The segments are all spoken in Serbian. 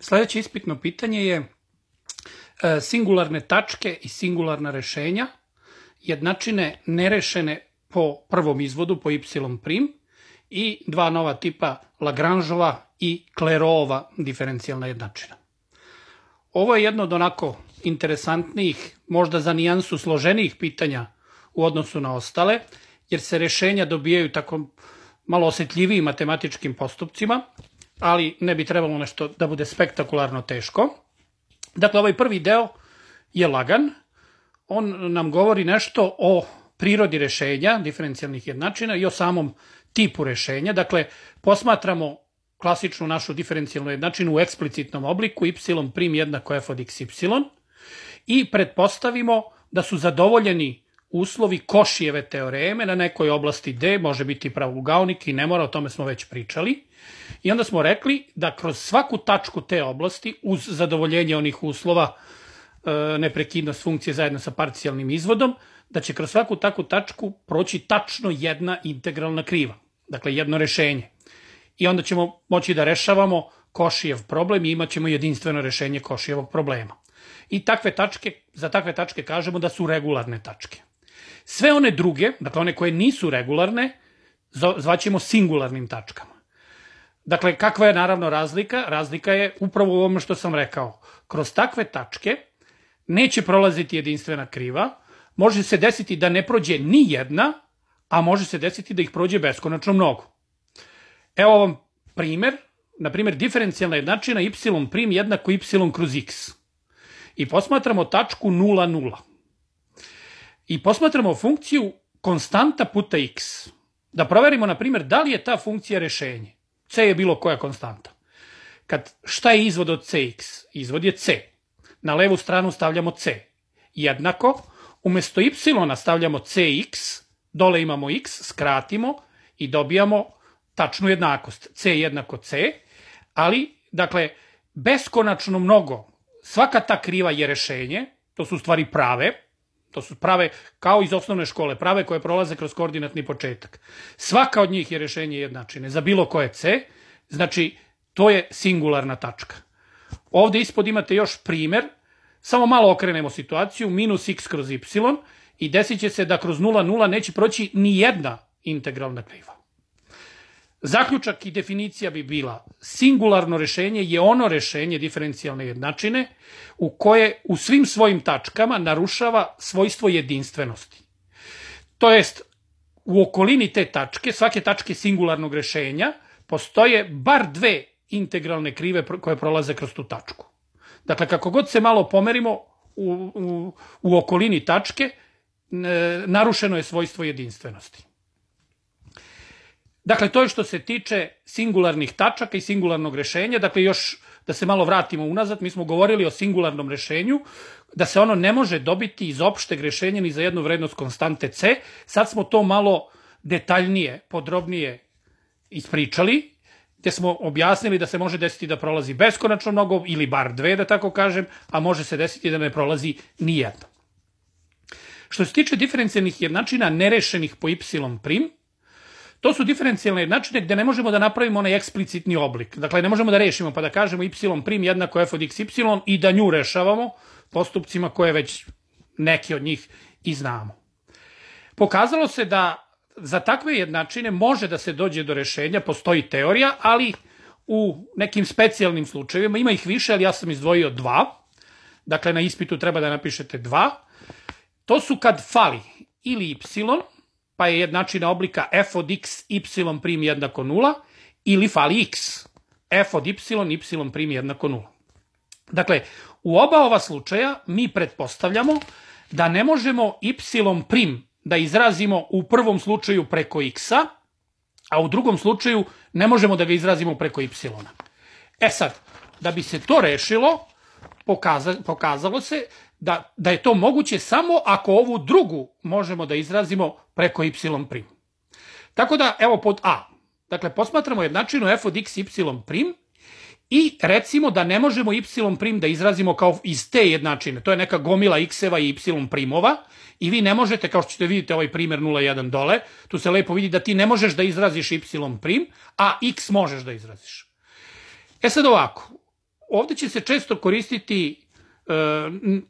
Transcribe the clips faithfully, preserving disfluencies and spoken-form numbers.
Sledeće ispitno pitanje je singularne tačke i singularna rešenja, jednačine nerešene po prvom izvodu, po y prim, i dva nova tipa Lagrangeova i Clairautova diferencijalna jednačina. Ovo je jedno od onako interesantnijih, možda za nijansu složenijih pitanja u odnosu na ostale, jer se rešenja dobijaju tako malo osetljivijim matematičkim postupcima, ali ne bi trebalo nešto da bude spektakularno teško. Dakle, ovaj prvi deo je lagan. On nam govori nešto o prirodi rešenja, diferencijalnih jednačina, i o samom tipu rešenja. Dakle, posmatramo klasičnu našu diferencijalnu jednačinu u eksplicitnom obliku, y prim jednako f od xy, i pretpostavimo da su zadovoljeni uslovi Košijeve teoreme na nekoj oblasti D, može biti pravougaonik i ne mora, o tome smo već pričali. I onda smo rekli da kroz svaku tačku te oblasti, uz zadovoljenje onih uslova, neprekidnost funkcije zajedno sa parcijalnim izvodom, da će kroz svaku takvu tačku proći tačno jedna integralna kriva. Dakle, jedno rešenje. I onda ćemo moći da rešavamo Košijev problem i imat ćemo jedinstveno rešenje Košijevog problema. I takve tačke, za takve tačke kažemo da su regularne tačke. Sve one druge, dakle one koje nisu regularne, zvaćemo singularnim tačkama. Dakle, kakva je naravno razlika? Razlika je upravo u ovome što sam rekao. Kroz takve tačke neće prolaziti jedinstvena kriva, može se desiti da ne prođe ni jedna, a može se desiti da ih prođe beskonačno mnogo. Evo vam primer, na primjer diferencijalna jednačina y prim jednako y kroz x. I posmatramo tačku nula, nula. I posmatramo funkciju konstanta puta x. Da proverimo, na primjer, da li je ta funkcija rešenje. C je bilo koja konstanta. Kad, šta je izvod od cx? Izvod je c. Na levu stranu stavljamo c. Jednako, umesto y stavljamo cx, dole imamo x, skratimo i dobijamo tačnu jednakost. C jednako c, ali, dakle, beskonačno mnogo. Svaka ta kriva je rešenje, to su u stvari prave, to su prave kao iz osnovne škole, prave koje prolaze kroz koordinatni početak. Svaka od njih je rešenje jednačine za bilo koje c, znači to je singularna tačka. Ovde ispod imate još primer, samo malo okrenemo situaciju, minus x kroz y i desit će se da kroz nula, nula neće proći ni jedna integralna kriva. Zaključak i definicija bi bila: singularno rešenje je ono rešenje diferencijalne jednačine u koje u svim svojim tačkama narušava svojstvo jedinstvenosti. To jest, u okolini te tačke, svake tačke singularnog rešenja, postoje bar dve integralne krive koje prolaze kroz tu tačku. Dakle, kako god se malo pomerimo u, u, u okolini tačke, narušeno je svojstvo jedinstvenosti. Dakle, to je što se tiče singularnih tačaka i singularnog rešenja. Dakle, još da se malo vratimo unazad, mi smo govorili o singularnom rešenju, da se ono ne može dobiti iz opšteg rešenja ni za jednu vrednost konstante c. Sad smo to malo detaljnije, podrobnije ispričali, gde smo objasnili da se može desiti da prolazi beskonačno mnogo, ili bar dve, da tako kažem, a može se desiti da ne prolazi ni jedna. Što se tiče diferencijalnih jednačina nerešenih po y prim, to su diferencijalne jednačine gde ne možemo da napravimo onaj eksplicitni oblik. Dakle, ne možemo da rešimo pa da kažemo y prim jednako f od xy i da nju rešavamo postupcima koje već neki od njih i znamo. Pokazalo se da za takve jednačine može da se dođe do rešenja, postoji teorija, ali u nekim specijalnim slučajevima, ima ih više, ali ja sam izdvojio dva. Dakle, na ispitu treba da napišete dva. To su kad fali ili y, pa je jednačina oblika f od x y prim jednako nula, ili fali x, f od y, y prim jednako nula. Dakle, u oba ova slučaja mi pretpostavljamo da ne možemo y prim da izrazimo u prvom slučaju preko x-a, a u drugom slučaju ne možemo da ga izrazimo preko y. E sad, da bi se to rešilo, pokazalo se Da, da je to moguće samo ako ovu drugu možemo da izrazimo preko y prim. Tako da, evo pod a. Dakle, posmatramo jednačinu f od x y prim i recimo da ne možemo y prim da izrazimo kao iz te jednačine. To je neka gomila x-eva i y primova i vi ne možete, kao što ćete vidjeti ovaj primer nula jedan dole, tu se lepo vidi da ti ne možeš da izraziš y prim, a x možeš da izraziš. E sad ovako, ovde će se često koristiti,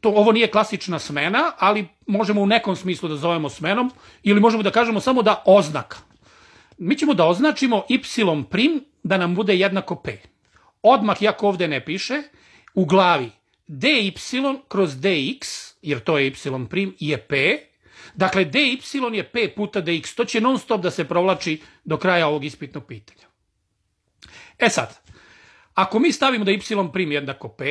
to, ovo nije klasična smena, ali možemo u nekom smislu da zovemo smenom, ili možemo da kažemo samo da oznaka. Mi ćemo da označimo y' da nam bude jednako p. Odmah, iako ovde ne piše, u glavi dy kroz dx, jer to je y' je p, dakle dy je p puta dx, to će non stop da se provlači do kraja ovog ispitnog pitanja. E sad, ako mi stavimo da y' jednako p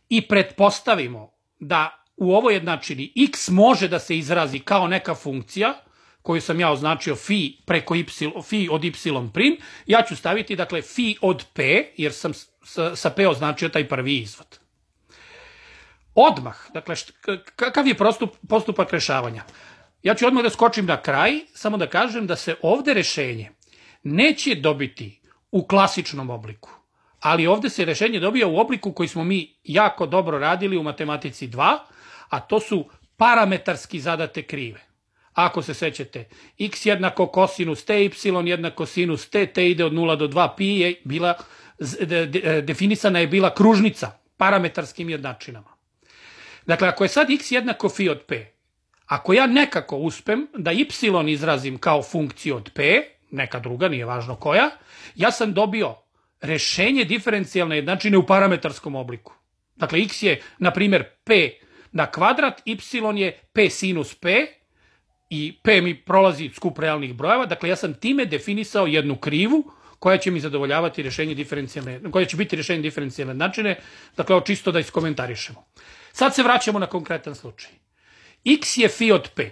i pretpostavimo da u ovoj jednačini x može da se izrazi kao neka funkcija, koju sam ja označio phi preko y, phi od y', ja ću staviti, dakle, phi od p, jer sam sa p označio taj prvi izvod. Odmah, dakle, kakav je postupak rešavanja? Ja ću odmah da skočim na kraj, samo da kažem da se ovde rešenje neće dobiti u klasičnom obliku, ali ovde se rešenje dobija u obliku koji smo mi jako dobro radili u matematici dva, a to su parametarski zadate krive. Ako se sećate, x jednako kosinus t, y jednako sinus t, t ide od nula do dva, pi je bila, definisana je bila kružnica parametarskim jednačinama. Dakle, ako je sad x jednako phi od p, ako ja nekako uspem da y izrazim kao funkciju od p, neka druga, nije važno koja, ja sam dobio rešenje diferencijalne jednačine u parametarskom obliku. Dakle, x je, na primjer, p na kvadrat, y je p sinus p, i p mi prolazi skup realnih brojeva, dakle ja sam time definisao jednu krivu koja će mi zadovoljavati rešenje diferencijalne, koja će biti rešenje diferencijalne jednačine, dakle ovo čisto da iskomentarišemo. Sad se vraćamo na konkretan slučaj. X je phi od p.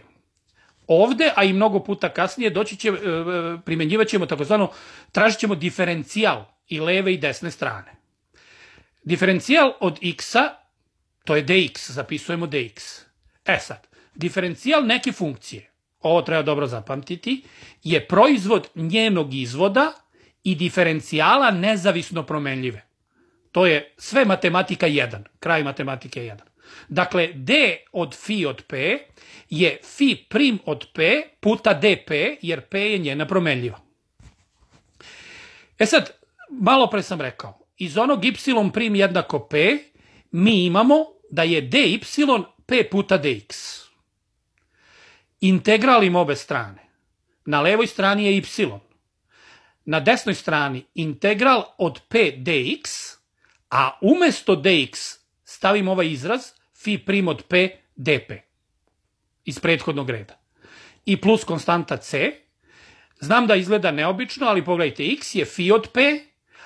Ovde, a i mnogo puta kasnije, doći će, primenjivat ćemo takozvano, tražit ćemo diferencijal i leve i desne strane. Diferencijal od x-a, to je dx, zapisujemo dx. E sad, diferencijal neke funkcije, ovo treba dobro zapamtiti, je proizvod njenog izvoda i diferencijala nezavisno promenljive. To je sve matematika jedan, kraj matematike jedan. Dakle, d od phi od p je phi prim od p puta dp, jer p je njena promenljiva. E sad, malo pre sam rekao, iz onog y' jednako p, mi imamo da je dy p puta dx. Integralim obe strane. Na levoj strani je y. Na desnoj strani integral od p dx, a umesto dx stavim ovaj izraz phi prim od p dp iz prethodnog reda. I plus konstanta c. Znam da izgleda neobično, ali pogledajte, x je phi od p,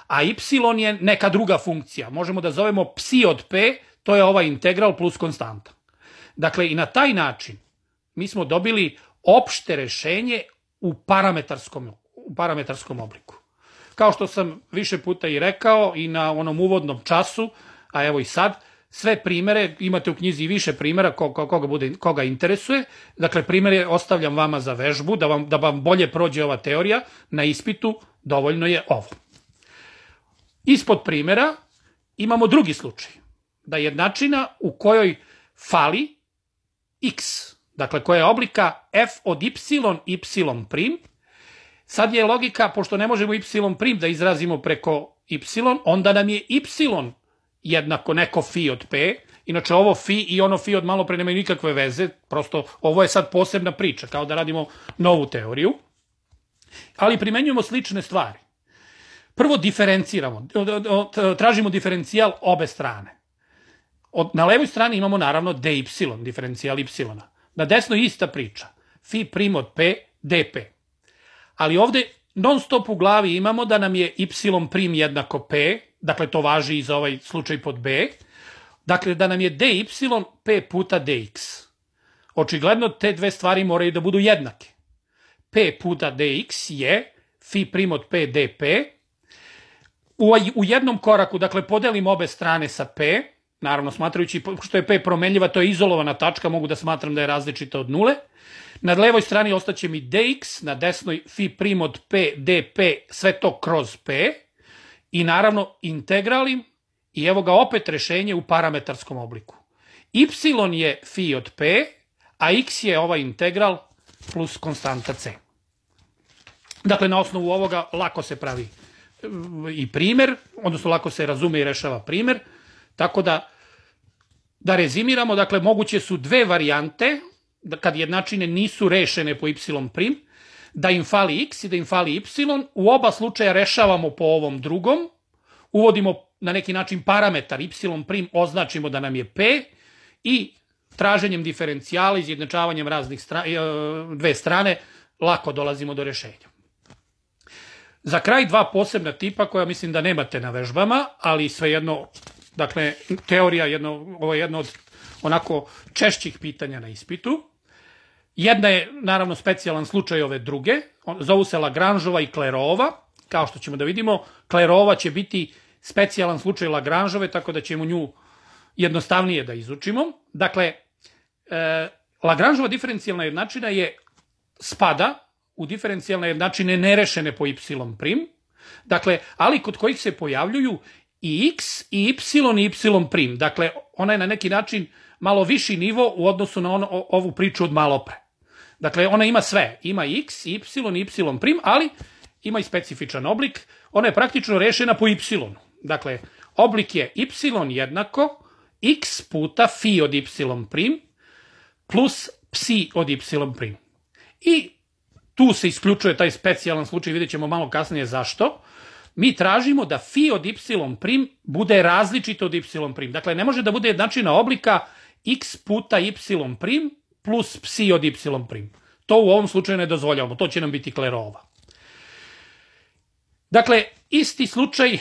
a y je neka druga funkcija. Možemo da zovemo psi od p, to je ovaj integral plus konstanta. Dakle, i na taj način mi smo dobili opšte rešenje u parametarskom, u parametarskom obliku. Kao što sam više puta i rekao i na onom uvodnom času, a evo i sad, sve primere, imate u knjizi i više primera koga, koga, bude, koga interesuje, dakle primere ostavljam vama za vežbu, da vam, da vam bolje prođe ova teorija, na ispitu dovoljno je ovo. Ispod primera imamo drugi slučaj, da je jednačina u kojoj fali x, dakle koja je oblika f od y, y prim. Sad je logika, pošto ne možemo y prim da izrazimo preko y, onda nam je y jednako neko phi od p, inače ovo phi i ono phi od malo pre nemaju nikakve veze, prosto ovo je sad posebna priča, kao da radimo novu teoriju, ali primenjujemo slične stvari. Prvo diferenciramo, tražimo diferencijal obe strane. Na levoj strani imamo naravno dy, diferencijal y. Na desnoj ista priča, phi prim od p dp. Ali ovde non stop u glavi imamo da nam je y prim jednako p, dakle to važi i za ovaj slučaj pod b, dakle da nam je dy p puta dx. Očigledno te dve stvari moraju da budu jednake. P puta dx je phi prim od p dp. U, u jednom koraku, dakle, podelim obe strane sa p, naravno smatrajući, što je p promenljiva, to je izolovana tačka, mogu da smatram da je različita od nule. Na levoj strani ostaće mi dx, na desnoj phi prim od p dp, sve to kroz p. I naravno integralim i evo ga opet rešenje u parametarskom obliku. Y je phi od p, a x je ovaj integral plus konstanta c. Dakle, na osnovu ovoga lako se pravi i primer, odnosno lako se razume i rešava primer, tako da da rezimiramo, dakle moguće su dve varijante, da kad jednačine nisu rešene po y prim, da im fali x i da im fali y, u oba slučaja rešavamo po ovom drugom, uvodimo na neki način parametar y prim, označimo da nam je p i traženjem diferencijala, izjednačavanjem raznih stra, dve strane, lako dolazimo do rešenja. Za kraj dva posebna tipa koja mislim da nemate na vežbama, ali svejedno, dakle, teorija, jedno, ovo je jedno od onako češćih pitanja na ispitu. Jedna je, naravno, specijalan slučaj ove druge, zovu se Lagrangeova i Clairautova, kao što ćemo da vidimo, Clairautova će biti specijalan slučaj Lagrangeove, tako da ćemo nju jednostavnije da izučimo. Dakle, e, Lagrangeova diferencijalna jednačina je spada u diferencijalne jednačine nerešene po y prim, dakle, ali kod kojih se pojavljuju i x, i y, i y prim. Dakle, ona je na neki način malo viši nivo u odnosu na ono, ovu priču od malo pre. Dakle, ona ima sve. Ima x, y, i y prim, ali ima i specifičan oblik. Ona je praktično rešena po y. Dakle, oblik je y jednako x puta phi od y prim plus psi od y prim. I tu se isključuje taj specijalan slučaj, vidjet ćemo malo kasnije zašto. Mi tražimo da phi od y prim bude različito od y prim. Dakle, ne može da bude jednačina oblika x puta y prim plus psi od y prim. To u ovom slučaju ne dozvoljavamo, to će nam biti Clairautova. Dakle, isti slučaj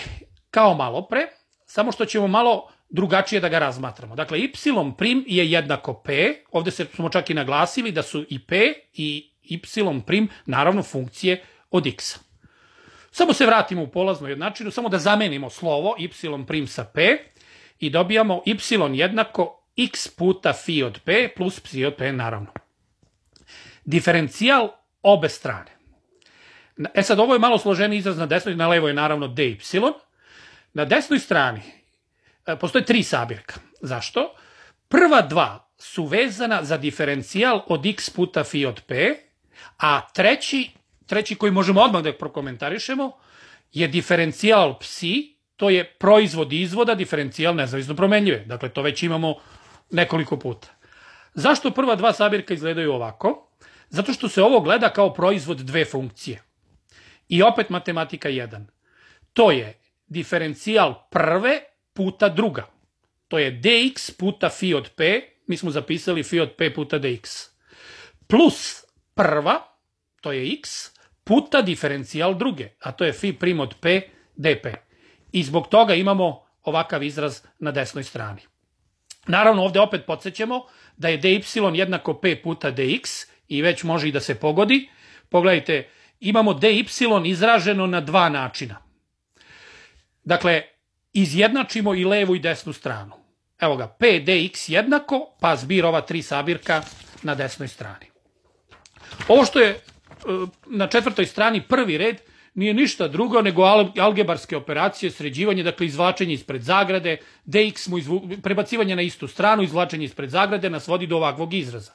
kao malo pre, samo što ćemo malo drugačije da ga razmatramo. Dakle, y prim je jednako p, ovde smo čak i naglasili da su i p i y prim, naravno, funkcije od x-a. Samo se vratimo u polaznu jednačinu, samo da zamenimo slovo y prim sa p i dobijamo y jednako x puta phi od p plus psi od p, naravno. Diferencijal obe strane. E sad, ovo je malo složeniji izraz na desnoj, na levoj je naravno dy. Na desnoj strani postoje tri sabirka. Zašto? Prva dva su vezana za diferencijal od x puta phi od p, a treći, treći koji možemo odmah da prokomentarišemo, je diferencijal psi, to je proizvod izvoda, diferencijal nezavisno promenljive. Dakle, to već imamo nekoliko puta. Zašto prva dva sabirka izgledaju ovako? Zato što se ovo gleda kao proizvod dve funkcije. I opet matematika jedan. To je diferencijal prve puta druga. To je dx puta phi od p, mi smo zapisali phi od p puta dx. Plus prva, to je x, puta diferencijal druge, a to je phi prim od p dp. I zbog toga imamo ovakav izraz na desnoj strani. Naravno, ovde opet podsjećamo da je dy jednako p puta dx i već može i da se pogodi. Pogledajte, imamo dy izraženo na dva načina. Dakle, izjednačimo i levu i desnu stranu. Evo ga, p dx jednako, pa zbir ova tri sabirka na desnoj strani. Ovo što je na četvrtoj strani prvi red nije ništa drugo nego algebarske operacije, sređivanje, dakle izvlačenje ispred zagrade, dx mu izvu, prebacivanje na istu stranu, izvlačenje ispred zagrade nas vodi do ovakvog izraza.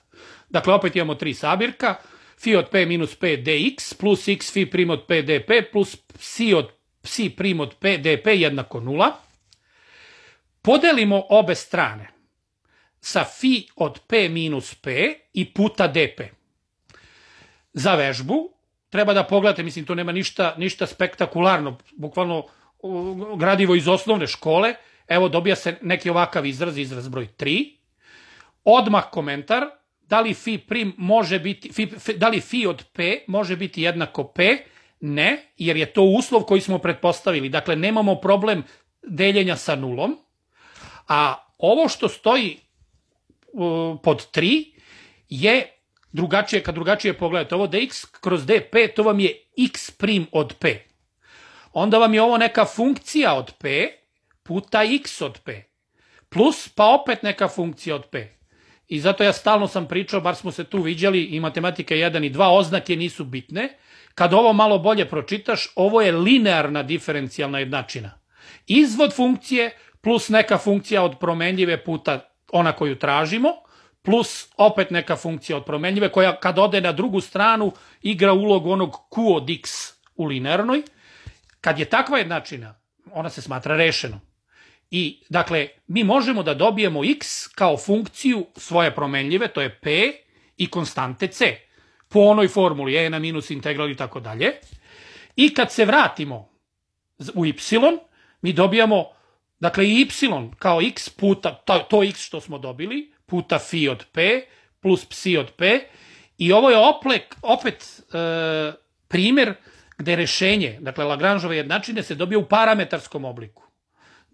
Dakle, opet imamo tri sabirka, phi od p minus p dx plus x phi prim od p dp plus psi od psi prim od p dp jednako nula. Podelimo obe strane sa phi od p minus p i puta dp. Za vežbu treba da pogledate, mislim, to nema ništa, ništa spektakularno, bukvalno gradivo iz osnovne škole. Evo, dobija se neki ovakav izraz, izraz broj tri. Odmah komentar, da li phi prim može biti, phi, da li phi od p može biti jednako p? Ne, jer je to uslov koji smo pretpostavili. Dakle, nemamo problem deljenja sa nulom. A ovo što stoji uh, pod tri je drugačije, kad drugačije pogledate. Ovo dx kroz dp, to vam je x prim od p. Onda vam je ovo neka funkcija od p puta x od p. Plus, pa opet neka funkcija od p. I zato ja stalno sam pričao, bar smo se tu viđali, i matematika jedan i dva, oznake nisu bitne. Kad ovo malo bolje pročitaš, ovo je linearna diferencijalna jednačina. Izvod funkcije plus neka funkcija od promenljive puta ona koju tražimo, plus opet neka funkcija od promenljive koja kad ode na drugu stranu igra ulogu onog q od x u linearnoj. Kad je takva jednačina, ona se smatra rešenom. I, dakle, mi možemo da dobijemo x kao funkciju svoje promenljive, to je p, i konstante c, po onoj formuli e na minus integral i tako dalje. I kad se vratimo u y, mi dobijamo, dakle, i y kao x puta, to, to x što smo dobili, puta phi od p, plus psi od p, i ovo je oplek, opet e, primjer gde rešenje, dakle, Lagrangeove jednačine se dobije u parametarskom obliku.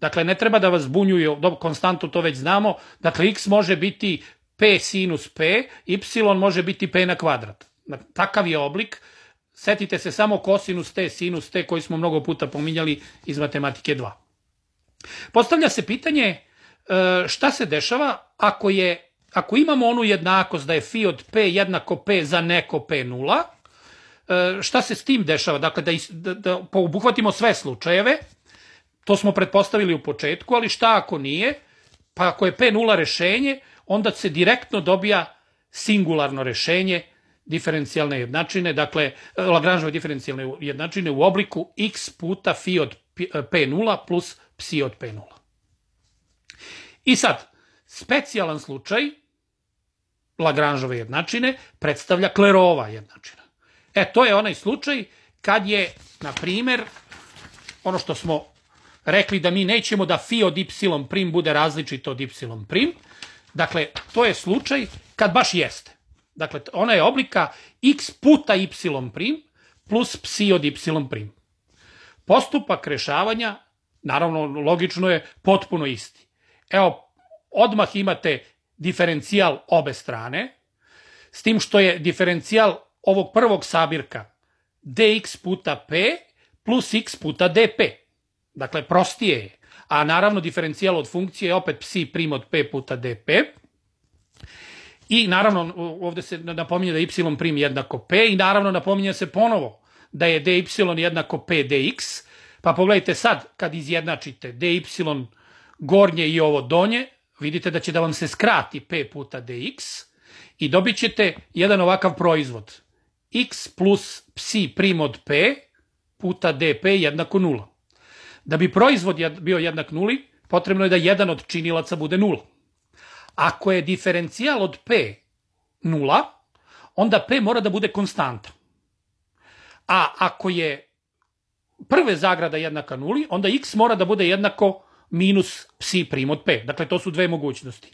Dakle, ne treba da vas zbunjuju, konstantu to već znamo, dakle, x može biti p sinus p, y može biti p na kvadrat. Takav je oblik, setite se samo kosinus t, sinus t, koji smo mnogo puta pominjali iz matematike dva. Postavlja se pitanje šta se dešava ako, je, ako imamo onu jednakost da je phi od p jednako p za neko p nula, šta se s tim dešava? Dakle, da, da, da obuhvatimo sve slučajeve, to smo pretpostavili u početku, ali šta ako nije? Pa ako je p nula rešenje, onda se direktno dobija singularno rešenje diferencijalne jednačine, dakle, Lagrangeove diferencijalne jednačine u obliku x puta phi od p nula plus psi od p nula. I sad, specijalan slučaj Lagrangeove jednačine predstavlja Clairautova jednačina. E, to je onaj slučaj kad je, na primer, ono što smo rekli da mi nećemo da phi od y prim bude različito od y prim, dakle, to je slučaj kad baš jeste. Dakle, ona je oblika x puta y prim plus psi od y prim. Postupak rešavanja, naravno, logično je potpuno isti. Evo, odmah imate diferencijal obe strane, s tim što je diferencijal ovog prvog sabirka dx puta p plus x puta dp. Dakle, prostije je. A naravno, diferencijal od funkcije je opet psi prim od p puta dp. I naravno, ovde se napominje da je y prim jednako p i naravno napominje se ponovo da je dy jednako p dx. Pa pogledajte sad, kad izjednačite dy gornje i ovo donje, vidite da će da vam se skrati p puta dx i dobit ćete jedan ovakav proizvod. X plus psi prim od p puta dp jednako nula. Da bi proizvod bio jednak nuli, potrebno je da jedan od činilaca bude nula. Ako je diferencijal od p nula, onda p mora da bude konstanta. A ako je prve zagrada jednaka nuli, onda x mora da bude jednako minus psi prim od p. Dakle, to su dve mogućnosti.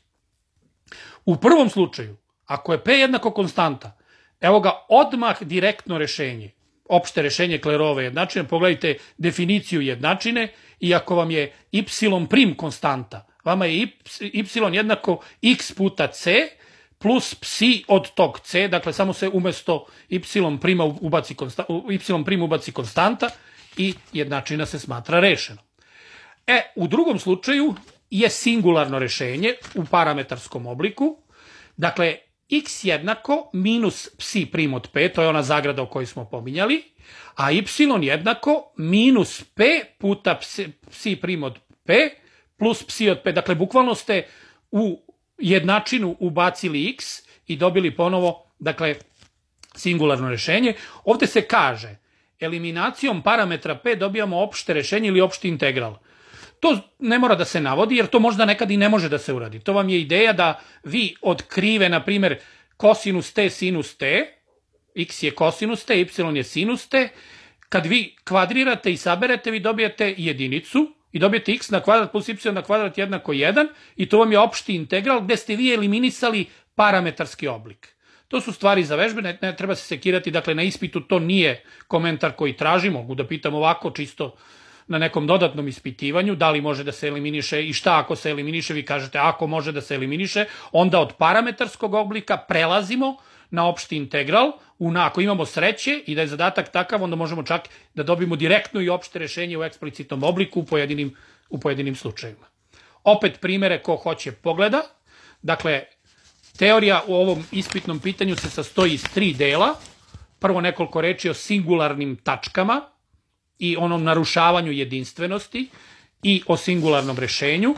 U prvom slučaju, ako je p jednako konstanta, evo ga odmah direktno rešenje, opšte rešenje Clairautove jednačine, pogledajte definiciju jednačine i ako vam je y prim konstanta, vama je y jednako x puta c plus psi od tog c, dakle samo se umesto y prima ubaci, konsta, y prim ubaci konstanta i jednačina se smatra rešena. E, u drugom slučaju je singularno rešenje u parametarskom obliku, dakle x jednako minus psi prim od p, to je ona zagrada o kojoj smo pominjali, a y jednako minus p puta psi, psi prim od p plus psi od p. Dakle, bukvalno ste u jednačinu ubacili x i dobili ponovo, dakle, singularno rešenje. Ovde se kaže, eliminacijom parametra p dobijamo opšte rešenje ili opšti integral. To ne mora da se navodi, jer to možda nekad i ne može da se uradi. To vam je ideja da vi od krive, na primjer, kosinus t, sinus t, x je kosinus t, y je sinus t, kad vi kvadrirate i saberete, vi dobijete jedinicu i dobijete x na kvadrat plus y na kvadrat jednako jedan i to vam je opšti integral gde ste vi eliminisali parametarski oblik. To su stvari za vežbe, ne, ne treba se sekirati, dakle na ispitu to nije komentar koji traži, mogu da pitam ovako čisto na nekom dodatnom ispitivanju, da li može da se eliminiše i šta ako se eliminiše, vi kažete ako može da se eliminiše, onda od parametarskog oblika prelazimo na opšti integral, ako imamo sreće i da je zadatak takav, onda možemo čak da dobijemo direktno i opšte rešenje u eksplicitnom obliku u pojedinim, u pojedinim slučajima. Opet primere ko hoće pogleda, dakle, teorija u ovom ispitnom pitanju se sastoji iz tri dela, prvo nekoliko reči o singularnim tačkama i onom narušavanju jedinstvenosti i o singularnom rešenju,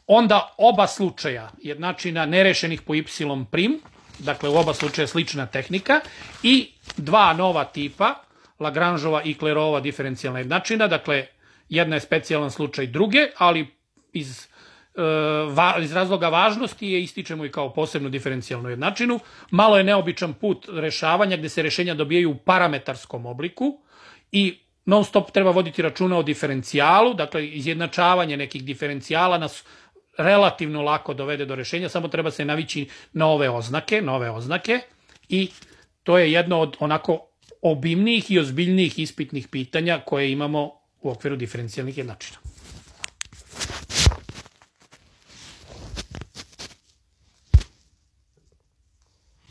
onda oba slučaja jednačina nerešenih po y prim, dakle u oba slučaja slična tehnika, i dva nova tipa Lagrangeova i Clairautova diferencijalna jednačina, dakle jedna je specijalan slučaj druge, ali iz, e, iz razloga važnosti je ističemo i kao posebnu diferencijalnu jednačinu. Malo je neobičan put rešavanja gde se rešenja dobijaju u parametarskom obliku i non stop treba voditi računa o diferencijalu, dakle izjednačavanje nekih diferencijala nas relativno lako dovede do rešenja, samo treba se navići na ove oznake, nove oznake i to je jedno od onako obimnijih i ozbiljnijih ispitnih pitanja koje imamo u okviru diferencijalnih jednačina.